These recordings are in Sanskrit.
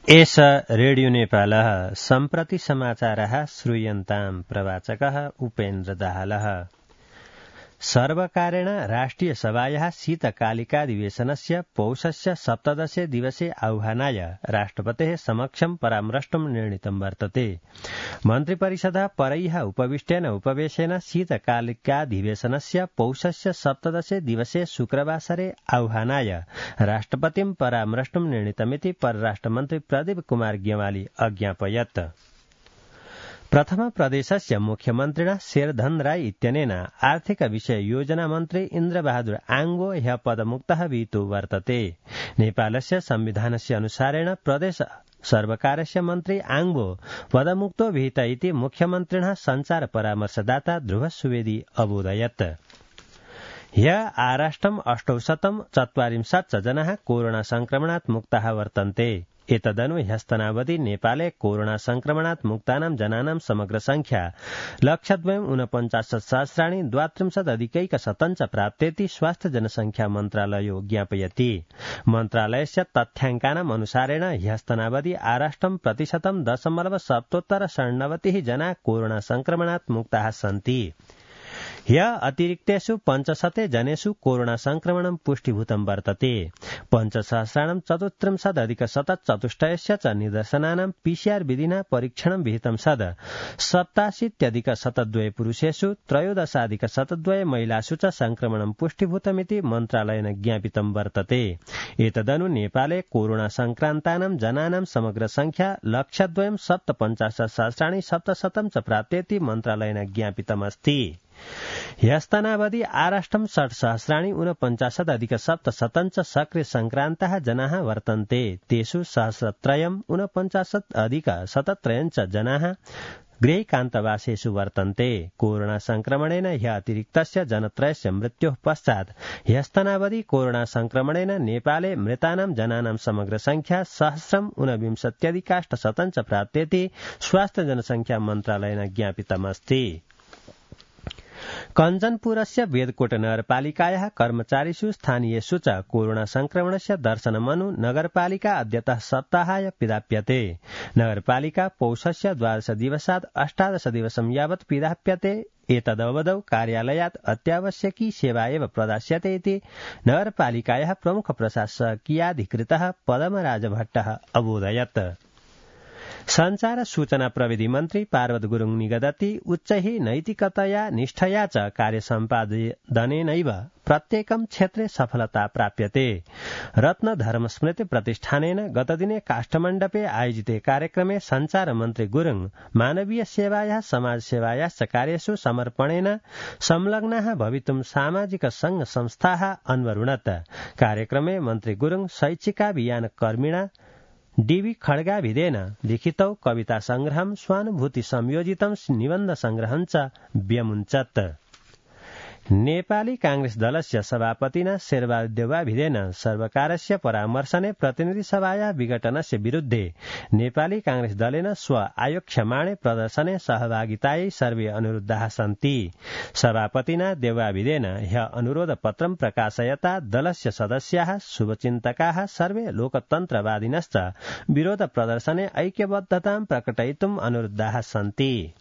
एष रेडियो नेपालः सम्प्रति समाचारः श्रूयन्ताम् प्रवाचकः उपेन्द्र दाहालः। सर्वकारेण राष्ट्रिय सभायाः शीतकालिकाधिवेशनस्य पौषस्य 17 दिवसे आह्वानाय राष्ट्रपतेः समक्षं परामृष्टुं निर्णीतं वर्तते। मन्त्रिपरिषदः परैः उपविष्टेन उपवेशेन शीतकालिकाधिवेशनस्य पौषस्य 17 दिवसे शुक्रवासरे आह्वानाय राष्ट्रपतिं परामृष्टुं निर्णीतमिति परराष्ट्रमन्त्री प्रदीप कुमार ग्यवाली अज्ञापयत्। प्रथम प्रदेशस्य मुख्यमन्त्रिणा शेरधन राय इत्यनेन आर्थिक विषय योजना मन्त्री इन्द्रबहादुर आङ्गो ह्यः पदमुक्तः विहितो वर्तते। नेपालस्य संविधानस्य अनुसारेण प्रदेश सर्वकारस्य मन्त्री आङ्गो पदमुक्तो विहित इति मुख्यमन्त्रिणः सञ्चार परामर्शदाता ध्रुव सुवेदी अबोधयत्। ह्यः आराष्ट्रम् 844 जनाः कोरोना संक्रमणात् मुक्ताः वर्तन्ते। एतदनु ह्यस्तनावधि नेपाले कोरोना संक्रमणात् मुक्तानां जनानां समग्र संख्या 1,49,032 प्राप्तेति स्वास्थ्य जनसंख्या मन्त्रालयो ज्ञापयति। मन्त्रालयस्य तथ्याङ्कानाम् अनुसारेण ह्यस्तनावधि आराष्ट्रं प्रतिशतं 0.97 जनाः कोरोना संक्रमणात् मुक्ताः सन्ति। ह्यः अतिरिक्तेषु 500 जनेषु कोरोना संक्रमणं पुष्टिभूतं वर्तते। 5,34,अधिक-174 च निदर्शनानां पीसीआर विधिना परीक्षणं विहितं सद 87,102 पुरुषेषु 13,102 महिलासु च संक्रमणं पुष्टिभूतमिति मन्त्रालयेन ज्ञापितं वर्तते। एतदनु नेपाले कोरोना संक्रान्तानां जनानां समग्र संख्या 1,2,57,700 च प्राप्तेति मन्त्रालयेन ज्ञापितमस्ति। ह्यस्तनावधि आराष्ट्रं 6,49,अधिक-700 सक्रिय संक्रान्ताः जनाः वर्तन्ते। तेषु 1,049,अधिक-173 जनाः गृहैकान्तवासेषु वर्तन्ते। कोरोना संक्रमणेन ह्यः अतिरिक्तस्य जनत्रयस्य मृत्योः पश्चात् ह्यस्तनावधि कोरोना संक्रमणेन नेपाले मृतानां जनानां समग्र संख्या 1,029,800 च प्राप्तेति स्वास्थ्य जनसंख्या मन्त्रालयेन ज्ञापितमस्ति। कञ्चनपुरस्य वेदकोट नगरपालिकायाः कर्मचारिषु स्थानीयेषु च कोरोना संक्रमणस्य दर्शनमनु नगरपालिका अद्यतः सप्ताहाय पिधाप्यते। नगरपालिका पौषस्य 12 दिवसात् 18 दिवसं यावत् पिधाप्यते। एतदवधौ कार्यालयात् अत्यावश्यकी सेवा एव प्रदास्यते इति नगरपालिकायाः प्रमुख प्रशासकीयाधिकृतः पदमराज भट्टः अबोधयत्। संचार सूचना प्रविधि मन्त्री पार्वत गुरुङ निगदति उच्चैः नैतिकतया निष्ठया च कार्यसम्पादनेनैव प्रत्येकं क्षेत्रे सफलता प्राप्यते। रत्न धर्मस्मृति प्रतिष्ठानेन गतदिने काष्ठमण्डपे आयोजिते कार्यक्रमे संचार मन्त्री गुरुङ मानवीय सेवायाः समाजसेवायाश्च कार्येषु समर्पणेन संलग्नाः भवितुं सामाजिक संघ संस्थाः अन्वरुणत्। कार्यक्रमे मन्त्री गुरुङ शैक्षिकाभियान कर्मिणा डीवी खड्गाभिधेन लिखितौ कविता संग्रहं स्वानुभूति संयोजितं निबन्ध संग्रहं च व्यमुञ्चत्। नेपाली कांग्रेस दलस्य सभापतिना शेरबहादुर देउवाभिधेन सर्वकारस्य परामर्शने प्रतिनिधि सभाया विघटनस्य विरुद्धे नेपाली कांग्रेस दलेन स्व आयोक्ष्यमाणे प्रदर्शने सहभागितायै सर्वे अनुरुद्धाः सन्ति। सभापतिना देउवाभिधेन ह्यः अनुरोध पत्रं प्रकाशयता दलस्य सदस्याः शुभचिन्तकाः सर्वे लोकतन्त्रवादिनश्च विरोध प्रदर्शने ऐक्यबद्धतां प्रकटयितुम् अनुरुद्धाः सन्ति।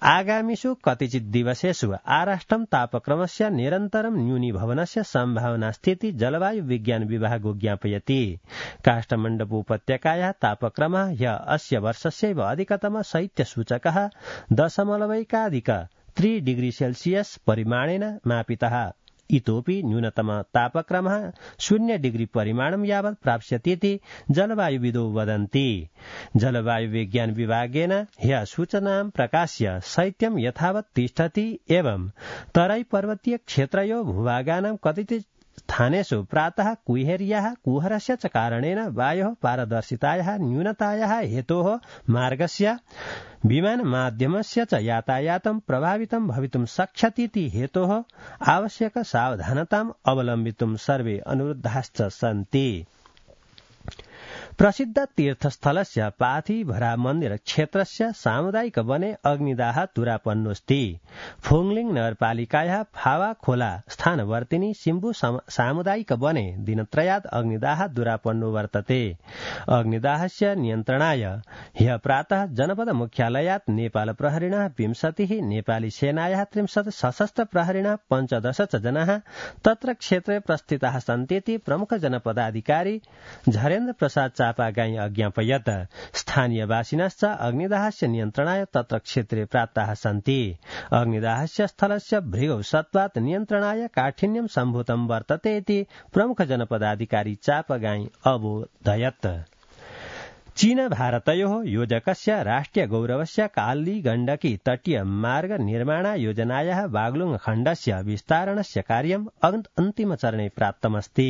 आगामिषु कतिचित् दिवसेषु आराष्ट्रं तापक्रमस्य निरन्तरं न्यूनीभवनस्य सम्भावनास्तीति जलवायु विज्ञान विभागो ज्ञापयति। काष्ठमण्डपोपत्यकायाः तापक्रमः ह्यः अस्य वर्षस्यैव अधिकतम शैत्यसूचकः 0.3 डिग्री सेल्सियस परिमाणेन मापितः। इतोपि न्यूनतम तापक्रमः 0 डिग्री परिमाणं यावत् प्राप्स्यतीति जलवायुविदो वदन्ति। जलवायु विज्ञान विभागेन ह्यः सूचनां प्रकाश्य शैत्यं यथावत् तिष्ठति एवं तराई पर्वतीय क्षेत्रयो भूभागानां कतिचित् स्थानेषु प्रातः कुहेर्याः कुहरस्य च कारणेन वायोः पारदर्शितायाः न्यूनतायाः हेतोः मार्गस्य विमान माध्यमस्य च यातायातं प्रभावितं भवितुं शक्ष्यतीति हेतोः आवश्यक सावधानताम् अवलम्बितुं सर्वे अनुरुद्धाश्च सन्ति। प्रसिद्ध तीर्थस्थलस्य पाथिभरा मन्दिर क्षेत्रस्य सामुदायिक वने अग्निदाह दुरापन्नोऽस्ति। फुङलिङ नगरपालिकायाः फावा खोला स्थानवर्तिनी सिम्बु सामुदायिक वने दिनत्रयात् अग्निदाह दुरापन्नो वर्तते। अग्निदाहस्य नियन्त्रणाय ह्यः प्रातः जनपद मुख्यालयात् नेपाल प्रहरिणः 20, नेपाली सेनायाः 30 सशस्त्र प्रहरिणः 15 च जनाः तत्र क्षेत्रे प्रस्थिताः सन्तीति प्रमुख जनपदाधिकारी झरेन्द्र प्रसाद चापागाई अज्ञापयत्। स्थानीयवासिनश्च अग्निदाहस्य नियन्त्रणाय तत्र क्षेत्रे प्राप्ताः सन्ति। अग्निदाहस्य स्थलस्य भृगौ सत्त्वात् नियन्त्रणाय काठिन्यं सम्भूतं वर्तते इति प्रमुख जनपदाधिकारी चापागाई अबोधयत्। चीन भारतयोः योजकस्य राष्ट्रिय गौरवस्य काली गण्डकी तटीय मार्ग निर्माण योजनायाः बागलुङ खण्डस्य विस्तारणस्य कार्यम् अन्तिमचरणे प्राप्तमस्ति।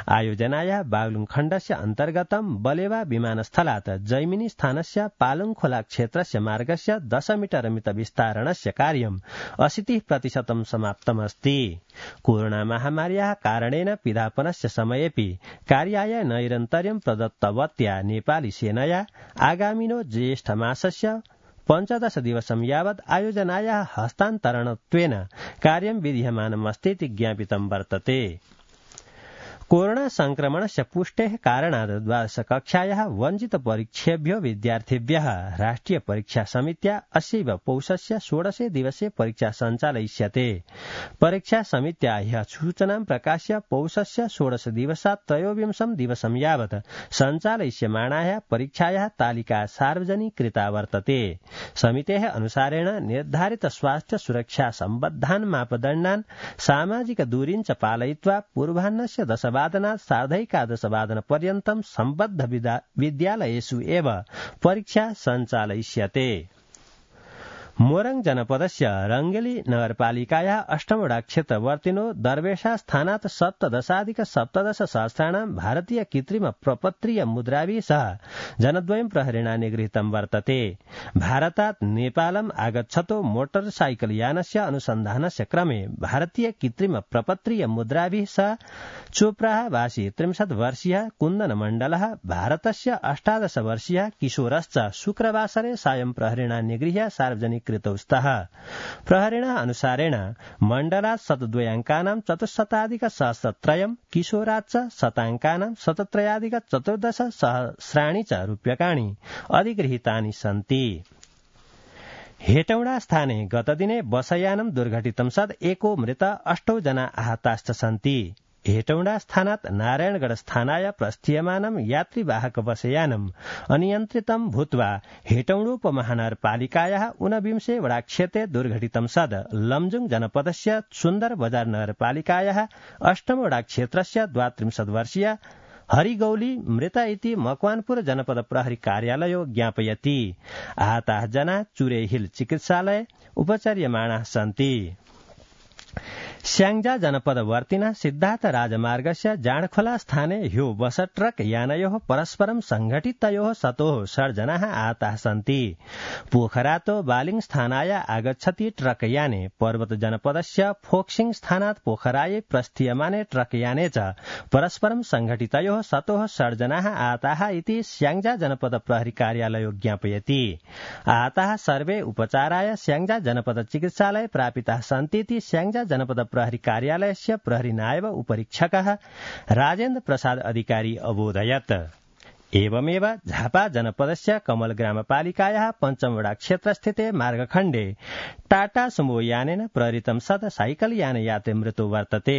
आयोजनायाः बागलुङ खण्डस्य अन्तर्गतं बलेवा विमानस्थलात् जैमिनी स्थानस्य पालुङखोला क्षेत्रस्य मार्गस्य 10 मीटर मित विस्तारणस्य कार्यम् 80% समाप्तमस्ति। कोरोना महामार्याः कारणेन पिधापनस्य समयेऽपि कार्याय नैरन्तर्यं प्रदत्तवत्या नेपाली सेनया आगामिनो ज्येष्ठ मासस्य 15 दिवसं यावत् आयोजनायाः हस्तान्तरणत्वेन कार्यं विधीयमानमस्तीति ज्ञापितं वर्तते। कोरोना संक्रमणस्य पुष्टेः कारणात् 12 कक्षायाः वञ्चित परीक्षेभ्यो विद्यार्थिभ्यः राष्ट्रिय परीक्षा समित्या अस्यैव पौषस्य 16 दिवसे परीक्षा सञ्चालयिष्यते। परीक्षा समित्या ह्यः सूचनां प्रकाश्य पौषस्य 16 दिवसात् 23 दिवसं यावत् सञ्चालयिष्यमाणायाः परीक्षायाः तालिका सार्वजनीकृता वर्तते। समितेः अनुसारेण निर्धारित स्वास्थ्य सुरक्षा सम्बद्धान् मापदण्डान् सामाजिक दूरीं च पालयित्वा पूर्वाह्नस्य 10 वादनात् सार्धैकादश वादनपर्यन्तं सम्बद्ध विद्यालयेषु एव परीक्षा सञ्चालयिष्यते। मोरङ जनपदस्य रङ्गेली नगरपालिकायाः 8 वडा क्षेत्रवर्तिनो दर्वेशा स्थानात् 17,17 सहस्राणां भारतीय कृत्रिम प्रपत्रीय मुद्राभिः सह जनद्वयं प्रहरिणा निगृहीतं वर्तते। भारतात् नेपालम् आगच्छतो मोटरसाइकल यानस्य अनुसन्धानस्य क्रमे भारतीय कृत्रिम प्रपत्रीय मुद्राभिः सह चोप्राः वासी 30 वर्षीयः कुन्दन मण्डलः भारतस्य 18 वर्षीयः किशोरश्च शुक्रवासरे सायं प्रहरिणा निगृह्य सार्वजनिक कृतौ स्तः। प्रहरिणा अनुसारेण मण्डलात् 102 चतुश्शताधिक-सहस्रत्रयम् किशोरात् च 100 शतत्रयाधिक-14 सहस्राणि च रूप्यकाणि अधिगृहीतानि सन्ति। हेटौडा स्थाने गतदिने बसयानं दुर्घटितं सद् एको मृत 8 जना आहताश्च सन्ति। हेटौडा स्थानात् नारायणगढ स्थानाय प्रस्थीयमानं यात्रीवाहक बसयानम् अनियन्त्रितं भूत्वा हेटौडोपमहानगरपालिकायाः 49 वडाक्षेत्रे दुर्घटितं सद् लमजुङ जनपदस्य सुन्दर बजार नगरपालिकायाः 8 वडाक्षेत्रस्य 32 वर्षीय हरिगौली मृत इति मकवानपुर जनपद प्रहरी कार्यालयो ज्ञापयति। आहताः जना चुरे हिल चिकित्सालये उपचार्यमाणाः सन्ति। स्याङ्जा जनपदवर्तिनः सिद्धार्थ राजमार्गस्य जाँडखोला स्थाने ह्यो बस ट्रक यानयोः परस्परं संघटितयोः सतोः 6 जनाः आहताः सन्ति। पोखरातो बालिङ स्थानाय आगच्छति ट्रक याने पर्वत जनपदस्य फोक्सिङ स्थानात् पोखरायै प्रस्थीयमाने ट्रक याने च परस्परं संघटितयोः सतोः 6 जनाः आहताः इति स्याङ्जा जनपद प्रहरी कार्यालयो ज्ञापयति। आहताः सर्वे उपचाराय स्याङ्जा जनपद चिकित्सालये प्रापिताः सन्तीति स्याङ्जा जनपद प्रहरी कार्यालयस्य प्रहरी नायब उपरीक्षकः राजेन्द्र प्रसाद अधिकारी अबोधयत्। एवमेव झापा जनपदस्य कमल ग्रामपालिकायाः 5 वडा क्षेत्रस्थिते मार्गखण्डे टाटा सुमो यानेन प्रहृतं सद् साइकल यान यात्री मृत्यु वर्तते।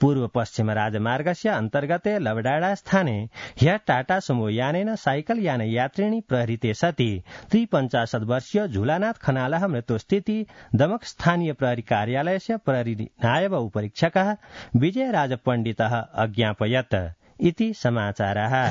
पूर्व पश्चिम राजमार्गस्य अन्तर्गते लवडाडा स्थाने ह्यः टाटा सुमो यानेन साइकल यान यात्रिणी प्रहृते सति 53 वर्षीय झुलानाथ खनालः मृत्युस्थिति दमक स्थानीय प्रहरी कार्यालयस्य प्रहरी नायब उपरीक्षकः विजयराज पण्डितः अज्ञापयत् इति समाचारः।